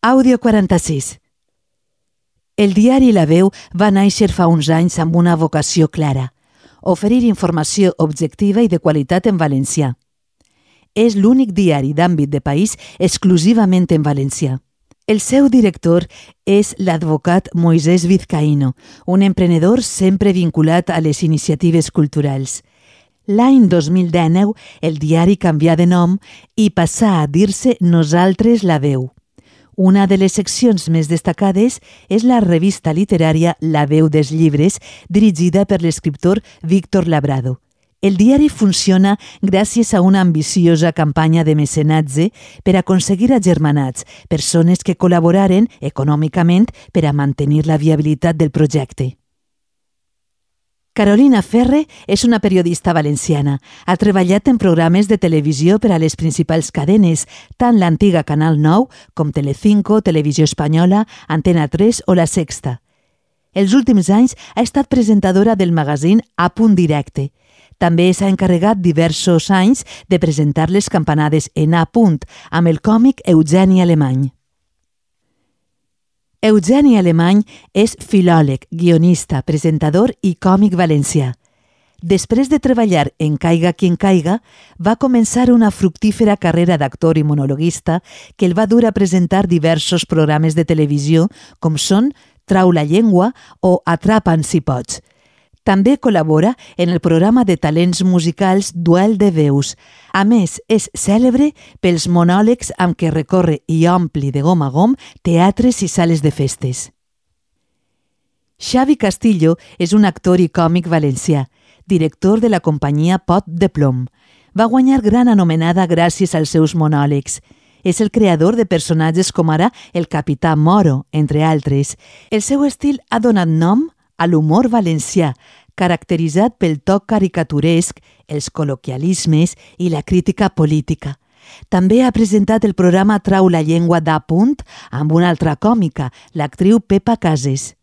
Àudio 46. El diari La Veu va néixer fa uns anys amb una vocació clara: oferir informació objectiva i de qualitat en valencià. És l'únic diari d'àmbit de país exclusivament en valencià. El seu director és l'advocat Moisés Vizcaíno, un emprenedor sempre vinculat a les iniciatives culturals. L'any 2019, el diari canvià de nom i passà a dir-se Nosaltres La Veu. Una de les seccions més destacades és la revista literària La Veu dels Llibres, dirigida per l'escriptor Víctor Labrado. El diari funciona gràcies a una ambiciosa campanya de mecenatge per aconseguir agermanats, persones que col·laboraren econòmicament per a mantenir la viabilitat del projecte. Carolina Ferre és una periodista valenciana. Ha treballat en programes de televisió per a les principals cadenes, tant l'antiga Canal 9 com Telecinco, Televisió Espanyola, Antena 3 o La Sexta. Els últims anys ha estat presentadora del magazín A Punt Directe. També s'ha encarregat diversos anys de presentar les campanades en A Punt amb el còmic Eugeni Alemany. Eugeni Alemany és filòleg, guionista, presentador i còmic valencià. Després de treballar en Caiga quien caiga, va començar una fructífera carrera d'actor i monologuista que el va dur a presentar diversos programes de televisió com són Trau la llengua o Atrapa'm si pots. També col·labora en el programa de talents musicals Duel de Veus. A més, és cèlebre pels monòlegs amb què recorre i ompli de gom a gom teatres i sales de festes. Xavi Castillo és un actor i còmic valencià, director de la companyia Pot de Plom. Va guanyar gran anomenada gràcies als seus monòlegs. És el creador de personatges com ara el Capità Moro, entre altres. El seu estil ha donat nom a l'humor valencià, caracteritzat pel toc caricaturesc, els col·loquialismes i la crítica política. També ha presentat el programa Trau la llengua d'A Punt amb una altra còmica, l'actriu Pepa Cases.